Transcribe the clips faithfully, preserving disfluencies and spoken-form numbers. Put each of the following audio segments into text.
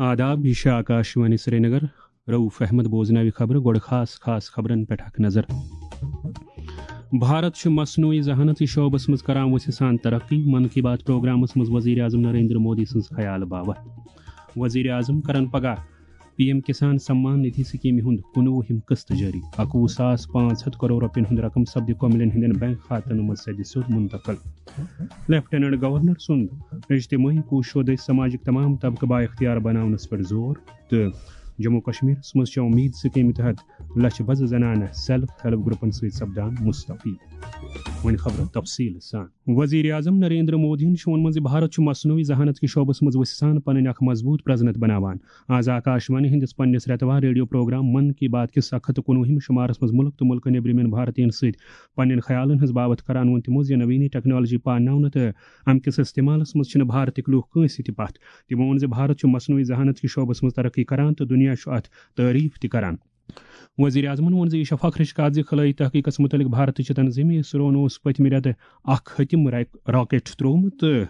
آداب، یہِ چھِ آکاشوانی سرینگر۔ رؤف احمد بوزناوِ خبرٕ، گۄڈٕ خاص خاص خبرن پٮ۪ٹھ اکھ نظر۔ بھارت چھُ مصنوعی ذہانت کِس شعبس منٛز کران وسیع سان ترقی، من کی بات پروگرامس منٛز وزیر اعظم نریندر مودی سٕنٛز خیال باوت۔ وزیر اعظم کرن پگاہ پی ایم کسان سمان ندھی سکیمہِ ہُنٛد کُنوُہِم قسط جٲری، اَکوُہ ساس پانٛژھ ہَتھ کرور رۄپین ہُنٛد رقم سپدِ کوملین ہٕنٛدٮ۪ن بینک کھاتن منٛز سیٚدِ سیوٚد منتقل۔ لیفٹیننٹ گورنر سُنٛد اجتماعی کوٗششو دٔسۍ سماجٕکۍ تمام طبقہٕ با اختیار بناونس پٮ۪ٹھ زور، تہٕ جموں کشمیرس منٛز چھےٚ اُمید سکیمہِ تحت لچھ بزٕ زنانہٕ سیلف ہیلپ گروپن سۭتۍ سپدان مستفید۔ وۄنۍ خبرٕ تفصیٖل سان۔ وزیر اعظم نریندر مودیَن چھُ ووٚنمُت زِ بھارت چھُ مصنوعی ذہانت کِس شعبس منٛز وسیع سان پنٕنۍ اکھ مضبوٗط پرزنت بناوان۔ آز آکاشوانی ہٕنٛدِس پننِس رٮ۪توار ریڈیو پروگرام من کی بات کِس اکھ ہتھ تہٕ کُنوُہِم شمارس منٛز مُلک تہٕ مُلکہٕ نیٚبرِمٮ۪ن بھارتین سۭتۍ پننٮ۪ن خیالن ہٕنٛز باوتھ کران ووٚن تِمو زِ نوینی ٹیکنالوجی پانناونہٕ تہٕ امہِ کِس استعمالس منٛز چھِنہٕ بھارتٕکۍ لوٗکھ کٲنٛسہِ تہِ پتھ۔ تِمو ووٚن زِ بھارت چھُ مصنوعی ذہانت کِس شعبس منٛز ترقی کران تہٕ دُنیا چھُ اتھ تعریف تہِ کران۔ وزیر اعظمن ووٚن زِ یہِ چھےٚ فخرٕچ کتھ زِ خلٲیی تحقیقس متعلق بھارتٕچ تنظیمہِ اسروہن اوس پٔتمہِ رٮ۪تہٕ اکھ ہتِم را-، راکٹ ترٛوومُت تہٕ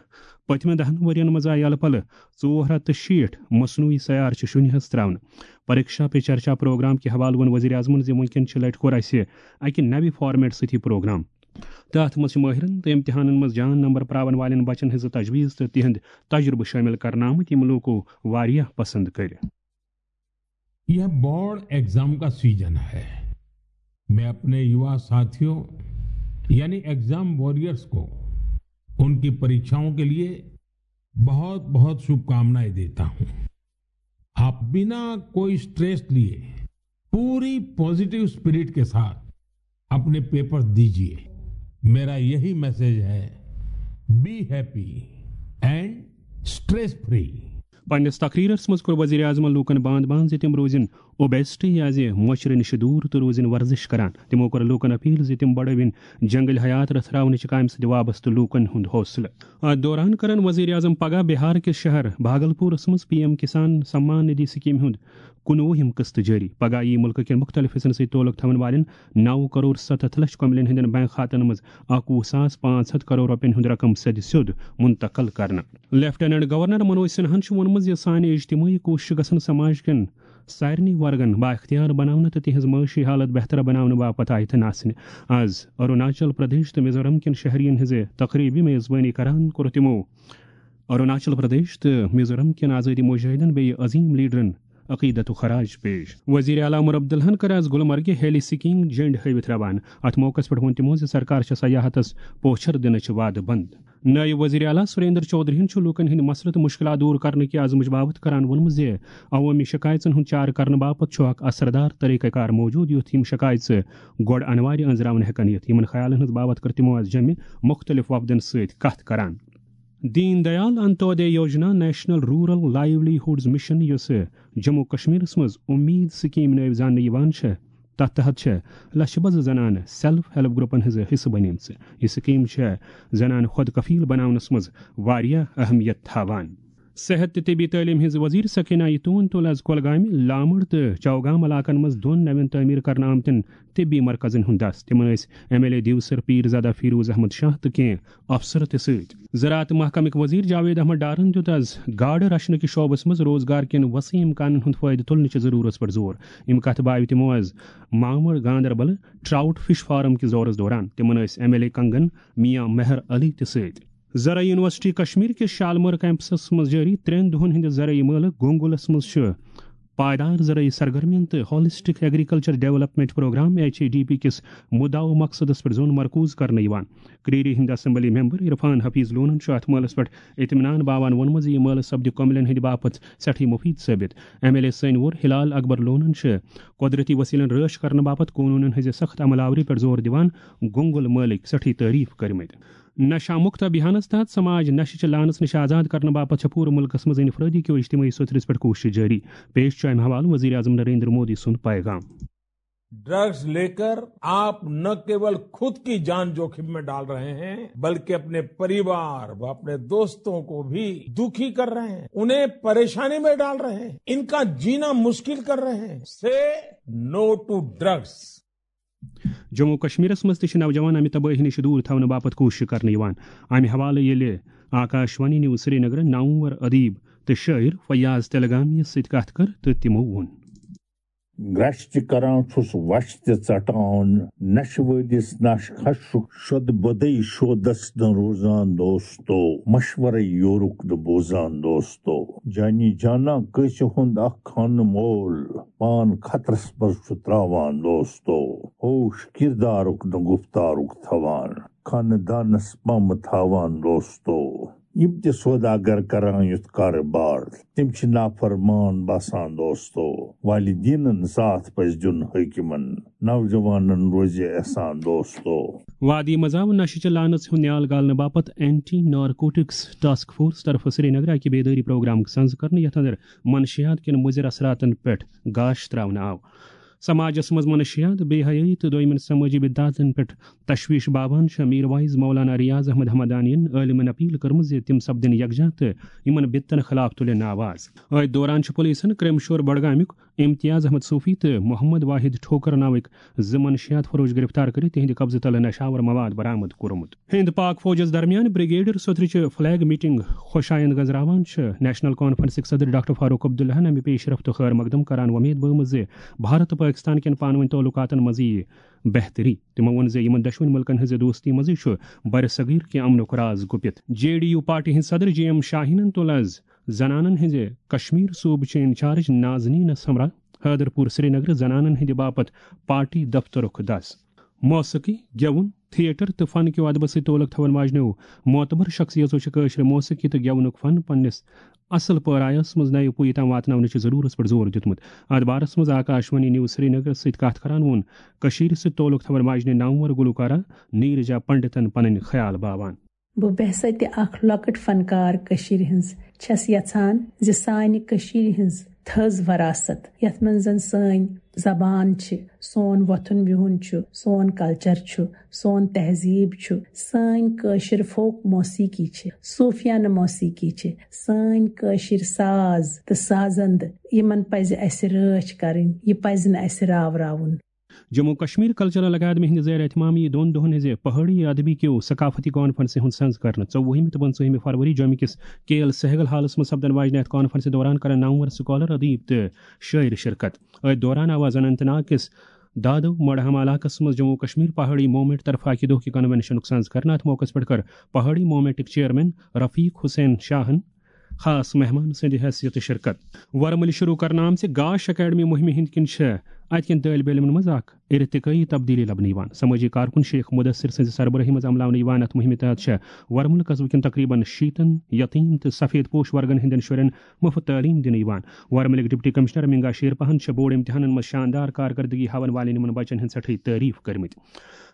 پٔتمٮ۪ن دَہَن ؤرین منٛز آیہِ یلہٕ پلہٕ ژور ہتھ تہٕ شیٹھ مصنوعی سیارٕ چھِ شُنہِ ہس تراونہٕ۔ پریکشا پے چرچا پروگرام کہِ حوالہٕ ووٚن وزیر اعظمن زِ وُنکٮ۪ن چھِ لٹہِ کوٚر اسہِ اکہِ نوِ فارمیٹ سۭتۍ یہِ پروگرام، تہٕ اتھ منٛز چھِ مٲہرن تہٕ امتحانن منٛز جان نمبر پراون والٮ۪ن بچن ہٕنٛز تجویز تہٕ تِہنٛد تجربہٕ شٲمِل کرنہٕ آمٕتۍ، یِم لوٗکو واریاہ پسند کٔرۍ۔ यह बोर्ड एग्जाम का सीजन है। मैं अपने युवा साथियों यानी एग्जाम वॉरियर्स को उनकी परीक्षाओं के लिए बहुत बहुत शुभकामनाएं देता हूं। आप बिना कोई स्ट्रेस लिए पूरी पॉजिटिव स्पिरिट के साथ अपने पेपर्स दीजिए। मेरा यही मैसेज है, be happy and stress free। پننِس تقریرس منٛز کوٚر وزیر اعظمن لوٗکن باند باند زِ تِم روزن اوبیسٹی یا زِ مۄچرٕ نِش دوٗر تہٕ روزن ورزش کران۔ تِمو کوٚر لوٗکن اپیل زِ تِم بڑٲوِن جنگل حیات رژھراونٕچہِ کامہِ سۭتۍ وابستہٕ لوٗکن ہُنٛد حوصلہٕ۔ اتھ دوران کرن وزیر اعظم پگاہ بہار کِس شہر بھاگلپورس منٛز پی ایم کسان سمان ندھی سکیمہِ ہُنٛد کُنوُہِم قسط جٲری۔ پگاہ یِیہِ مُلکہٕ کٮ۪ن مُختٔلِف حصن سۭتۍ تعلق تھاون والٮ۪ن نَو کرور ستتھ لچھ کوملین ہٕنٛدٮ۪ن بینک کھاتن منٛز اَکوُہ ساس پانٛژھ ہتھ کرور رۄپین ہُنٛد رقم سیٚدِ سیوٚد منتقل کرنہٕ۔ لیفٹیننٹ گورنر منوج سنہاہن چھُ ووٚنمُت زِ سانہِ اجتمٲعی کوٗششہٕ گژھن سماج کٮ۪ن سارنٕے ورگن بااختیار بناونہٕ تہٕ تِہنٛز معاشی حالت بہتر بناونہٕ باپتھ آیتن آسنہِ۔ از اروناچل پردیش تہٕ میزورم کٮ۪ن شہرین ہٕنٛزِ تقریبہِ میزبٲنی کران کوٚر تِمو اروناچل پردیش تہٕ میزورم کٮ۪ن آزٲدی مجاہدن بیٚیہِ عظیم لیڈرن عقیدت و خراج پیش۔ وزیر اعلیٰ عمر عبداللہن کٔر آز گلمرگہِ ہیلی سکیئنگ جھنڈ ہٲوِتھ روانہٕ۔ اتھ موقعس پٮ۪ٹھ ووٚن تِمو زِ سرکار چھےٚ سیاحتس پوچھر دِنٕچ وعدٕ بند۔ نٲیِب وزیر اعلیٰ سریندر چودھری ہن چھُ لوٗکن ہٕنٛدۍ مسلہٕ تہٕ مُشکِلات دوٗر کرنہٕ کہِ عزمٕچ باوتھ کران ووٚنمُت زِ عوٲمی شکایژن ہُنٛد چارٕ کرنہٕ باپتھ چھُ اکھ اثردار طریقہٕ کار موجود، یُتھ یِم شکایژٕ گۄڈٕ انوارِ أنٛزراونہٕ ہٮ۪کن یِتھ۔ یِمن خیالن ہٕنٛز باوتھ کٔر تِمو آز جمہِ مُختٔلِف وفدن سۭتۍ کتھ کران۔ Deen Dayal Antyodaya Yojana national rural livelihoods mission, یۄسہٕ جموں کشمیرس منٛز امید سکیٖم نٲوۍ زاننہٕ یِوان چھےٚ، تتھ تحت چھےٚ لچھِ بزٕ زنانہٕ سیلف ہیلپ گروپن ہٕنٛز حصہٕ بنیمژٕ۔ یہِ سکیٖم چھےٚ زنانہٕ خود کفیل بناونس منٛز واریاہ اہمیت تھاوان۔ صحت تہٕ طبی تعلیٖم ہٕنٛز وزیر سکینہ یتون تُل آز کۄلگامہِ، لامڑ تہٕ چوگام علاقن منٛز دۄن نوٮ۪ن تعمیٖر کرنہٕ آمتٮ۪ن طبی مرکزن ہُنٛد دس۔ تِمن ٲسۍ M L A Devsar Peerzada Feroz Ahmad Shah تہٕ کینٛہہ افسر تہِ سۭتۍ۔ زراعت محکمٕکۍ وزیر جاوید احمد ڈارن دیُت آز گاڈٕ رچھنہٕ کِس شعبس منٛز روزگار کٮ۪ن وسیع امکانن ہُنٛد فٲیدٕ تُلنہٕ چہِ ضروٗرتس پٮ۪ٹھ زور۔ امہِ کتھٕ باوِ تِمو آز مامڑ گاندربل ٹراؤٹ فش فارم کِس دورس دوران۔ تِمن ٲسۍ ایم ایل اے کنگن میاں مہر علی تہِ سۭتۍ۔ زرعی یونیورسٹی کشمیر کِس شالمور کیمپسس منٛز جٲری ترٛٮ۪ن دۄہن ہٕنٛدِ زرعی مٲلہٕ گونگلس منٛز چھُ پائیدار زرعی سرگرمین تہٕ holistic agriculture development programme, H A D P, کِس مدعا و مقصدس پٮ۪ٹھ زون مرکوز کرنہٕ یِوان۔ کریری ہٕنٛدۍ اسمبلی ممبر عرفان حفیظ لونن چھُ اتھ مٲلس پٮ۪ٹھ اطمینان باوان ووٚنمُت زِ یہِ مٲلہٕ سپدِ کوملین ہٕنٛدِ باپتھ سٮ۪ٹھٕے مُفیٖد ثٲبِت۔ ایم ایل اے سٲنۍ وور ہلال اکبر لونن چھِ قۄدرتی وسیلن رٲچھ کرنہٕ باپتھ قونوٗنن ہٕنٛزِ سخت عمل آوری پٮ۪ٹھ زور دِوان گونگل مٲلٕکۍ سٮ۪ٹھٕے تعریف کٔرمٕتۍ۔ نشہ مکت ابھیانس تحت سماج نشہ چہ لعنس نش آزاد کرنہٕ باپتھ چھےٚ پورٕ ملکس منٛز انفرادی کیو اجتماعی سوٚتھرس پٮ۪ٹھ کوٗشش جٲری۔ پیش چھُ امہِ حوالہٕ وزیر اعظم نریندر مودی سُنٛد پیغام۔ ड्रग्स लेकर आप न केवल खुद की जान जोखिम में डाल रहे हैं, बल्कि अपने परिवार व अपने दोस्तों को भी दुखी कर रहे हैं, उन्हें परेशानी में डाल रहे हैं, इनका जीना मुश्किल कर रहे हैं। से नो टू ड्रग्स। جموں کشمیرس منٛز تہِ چھِ نوجوان امہِ تبٲہی نِش دوٗر تھاونہٕ باپتھ کوٗشش کرنہٕ یِوان۔ امہِ حوالہٕ ییٚلہِ آکاشوانی نیوز سرینگر نامور ادیب تہٕ شٲعر فیاض تلگامی یس سۭتۍ کتھ کٔر تہٕ تِمو ووٚن۔ گرٛچھ تہِ کران چھُس وَچھ تہِ ژَٹان، نَشہٕ وٲلِس نَش خَشُک شۄد بۄدَے شودَس نہٕ روزان دوستو، مَشوَرَے یورُک نہٕ بوزان دوستو۔ جانی جانا کٲنٛسہِ ہُنٛد اَکھ خانہٕ مول، پان خطرَس منٛز چھُ ترٛاوان دوستو، ہوش کِردارُک نہٕ گُفتارُک تھاوان، خانہٕ دانَس پَمہٕ تھاوان دوستو۔ یِم تہِ سوداگر کران یُتھ کارٕبار، تِم چھِ نافرمان باسان دوستو۔ والدیٖنن ساتھ پزِ دیُن حٲکِمن، نوجوانن روزِ احسان دوستو۔ وادی منٛز آو نشہٕ چہِ لعنژ ہُنٛد نیال گالنہٕ باپتھ اینٹی نارکوٹکس ٹاسک فورس طرفہٕ سرینگرٕ اکہِ بیدٲری پروگرامُک سنز کرنہٕ، یتھ اندر منشیات کٮ۪ن مُضر اثراتن پٮ۪ٹھ گاش تراونہٕ آو۔ سماجس منٛز منشیات، بے حیٲیی تہٕ دویمٮ۪ن سمٲجی بدعاتن پٮ۪ٹھ تشویش باوان چھِ میر واعظ مولانا ریاض احمد حمدانین عٲلمن اپیل کٔرمٕژ زِ تِم سپدن یکجاہ تہٕ یِمن بدعتن خلاف تُلن آواز۔ أتھۍ دوران چھُ پولیسن کریم شور بڈگامیُک امتیاز احمد صوفی تہٕ محمد واحد ٹھوکر ناوٕکۍ زٕ منشیات فروش گرفتار کٔرِتھ تِہنٛدِ قبضہٕ تلہٕ نشاور مواد برآمد کوٚرمُت۔ ہند پاک فوجس درمیان بریگیڈر سترٕچ فلیگ میٹنگ خوش آیند گنزراوان چھِ نیشنل کانفرنسٕکۍ صدر ڈاکٹر فاروق عبداللہن امہِ پیش رفت خیر مقدم کران وۄمید بٲومٕژ زِ بھارت تہٕ پٲکستان کٮ۪ن پانہٕ ؤنۍ تعلقاتن منٛز یِیہِ بہتری۔ تِمو ووٚن زِ یِمن دۄشوٕنۍ مُلکن ہٕنٛزِ دوستی منٛزٕے چھُ برصغیر کہِ امن و راز گُپِتھ۔ جے ڈی یو پارٹی ہٕنٛدۍ صدر جے ایم شاہینن تُل از زنانن ہٕنٛزِ کشمیر صوبہٕ چہِ انچارج نازنینس ہمراہ حیدر پور سرینگرٕ زنانن ہٕنٛدِ باپتھ پارٹی دفترُک دس۔ موسیقی، گٮ۪وُن، تھیٹر تہٕ فن کیو ادبس سۭتۍ تعلق تھاون واجنیو معتبر شخصیژو چھِ کٲشرِ موسیقی تہٕ گٮ۪ونُک فن پننِس اصل پٲرایس منٛز نوِ پُیہِ تام واتناونٕچہِ ضرورتس پٮ۪ٹھ زور دیُتمُت۔ اتھ بارس منٛز آکاشوانی نیوز سرینگرس سۭتۍ کتھ کران ووٚن کٔشیرِ سۭتۍ تعلق تھاون واجنہِ نامور گلوکارہ نیرجا پنڈتن پنٕنۍ خیال باوان۔ بہٕ بیسہ تہِ اکھ لۄکٕٹ فنکار کٔشیرِ ہٕنٛز چھَس یژھان زِ سانہِ کٔشیرِ ہٕنٛز تھٔز وراثت، یتھ منٛز زن سٲنۍ زبان چھِ، سون وۄتھُن بِہُن چھُ، سون کلچر چھُ، سون تہذیب چھُ، سٲنۍ کٲشِر فوک موسیقی چھِ، صوفیانہٕ موسیقی چھِ، سٲنۍ کٲشِر ساز تہٕ سازندٕ، یِمن پزِ اسہِ رٲچھ کرٕنۍ، یہِ پزِ نہٕ اسہِ راوراوُن۔ جموں کشمیر کلچرل اکیڈمی ہٕنٛدِ زیر اہتمام یِیہِ دۄن دۄہن ہٕنٛزِ پہٲڑی ادبی کیو ثقافتی کانفرنسہِ ہُنٛد سنز کرنہٕ۔ ژوٚوُہمہِ تہٕ پٕنٛژٕہمہِ فروری جوٚمہِ کِس کے ایل سہگل ہالس منٛز سپدن واجنہِ اتھ کانفرنسہِ دوران کرن نامور سکالر، ادیب تہٕ شٲعر شرکت۔ أتھۍ دوران آو از اننت ناگ کِس دادو مڑہم علاقس منٛز جموں کشمیر پہاڑی موومنٹ طرفہٕ اکہِ دۄہ کہِ کنونشنُک سنز کرنہٕ۔ اتھ موقعس پٮ۪ٹھ کٔر پہاڑی موومنٹٕکۍ چیئرمین رفیق حسین شاہن خاص مہمان سٕنٛدِ حیثیتہٕ شرکت۔ ورمُلہِ شروع کرنہٕ آمژِ گاش اکیڈمی مُہمہِ ہٕنٛدۍ کِنۍ چھِ اتہِ کٮ۪ن طٲلبہِ علمن منٛز اکھ ارتقٲیی تبدیلی لبنہٕ یِوان۔ سمٲجی کارکُن شیخ مدثر سٕنٛزِ سربرٲہی منٛز عملاونہٕ یِوان۔ اتھ مُہمہِ تحت چھِ ورمُل قصبہٕ کٮ۪ن تقریباً شیٖتن یتیٖم تہٕ سفید پوش ورگن ہٕنٛدٮ۪ن شُرٮ۪ن مُفت تعلیٖم دِنہٕ یِوان۔ ورمُلٕکۍ ڈپٹی کمشنر منگا شیر پہن چھِ بورڈ امتحانن منٛز شاندار کارکردگی ہاوَن والٮ۪ن یِمن بچن ہٕنٛز سٮ۪ٹھٕے تعریٖف کٔرمٕتۍ۔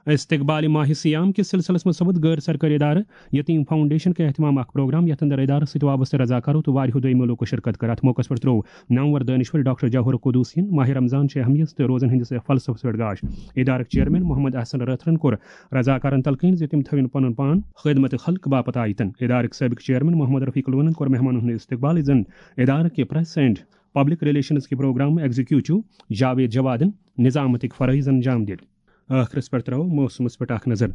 استقبال ماہ صیام کِس سلسلس منٛز سپُد غٲر سرکٲرۍ ادارٕ یتیٖم فاؤنڈیشن کہِ اہتمام اکھ پروگرام، یتھ اندر ادارس سۭتۍ وابستہٕ رضاکارو تہٕ واریاہو دویمو لوکو شرکت کٔر۔ اتھ موقعس پٮ۪ٹھ ترٛوو نامور دٲنشور ڈاکٹر جوہر قدوسین ماہ رمضان چہِ اہمیت تہٕ روزن ہٕنٛدِس فلسفس پٮ۪ٹھ گاش۔ ادارٕکۍ چیئرمین محمد احسن رٲتھرن کوٚر رضاکارن تلقین زِ تِم تھٲوِن پنُن پان خدمت خلق باپتھ آیتن۔ ادارٕکۍ سٲبق چیئرمین محمد رفیق لونن کوٚر مہمانن ہُنٛد استقبال، یُس زن ادارٕ کہِ پریس اینڈ پبلک ریلیشنز کہِ پروگرام ایگزیکیوٹو جاوید جوادن نظامتٕکۍ فرٲیض انجام دِتۍ۔ ٲخرس پٮ۪ٹھ ترٛاوو موسمس پٮ۪ٹھ اکھ نظر۔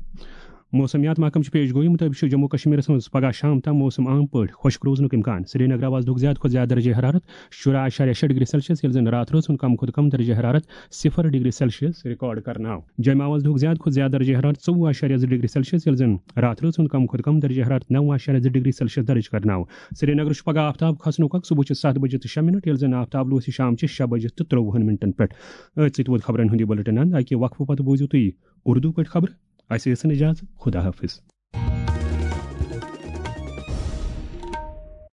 موسمیات محکمہٕ چہِ پیش گویی مُطٲبِق چھُ جموں کشمیرس منٛز پگہہ شام تام موسم عام پٲٹھۍ خۄشک روزنُک امکان۔ سرینگرٕ آز دۄہُک زیادٕ کھۄتہٕ زیادٕ درجہ حرارت شُراہ اعشاریہ شےٚ ڈگری سیلسیس، ییٚلہِ زن راتھ رٲژ ہُنٛد کم کھۄتہٕ کم درجہ حرارت صفر ڈگری سیلسیس ریکارڈ کرنہٕ آو۔ جوٚمہِ آو آز دۄہُک زیادٕ کھۄتہٕ زیادٕ درجہ حرارت ژوٚوُہ اعشاریہ زٕ ڈگری سیلسیس، ییٚلہِ زن راتھ رٲژ ہُنٛد کم کھۄتہٕ کم درجہ حرارت نَو اعشاریہ زٕ ڈگری سیلسیس درج کرنہٕ آو۔ سرینگرٕ چھُ پگہہ آفتاب کھسنُک وقت صبحٕچہِ ستھ بجہِ تہٕ شےٚ منٹ، ییٚلہِ زن آفتاب لوسہِ شامچہِ شےٚ بجہِ تہٕ ترٛۆوُہن منٹن پٮ۪ٹھ۔ أتھۍ سۭتۍ ووت خبرن ہُنٛد یہِ بُلٹن اند۔ اکہِ وقفہٕ پتہٕ بوٗزِو تُہۍ اردو پٲٹھۍ خبرٕ۔ اسہِ ٲسِن اجازت۔ خدا حافظ۔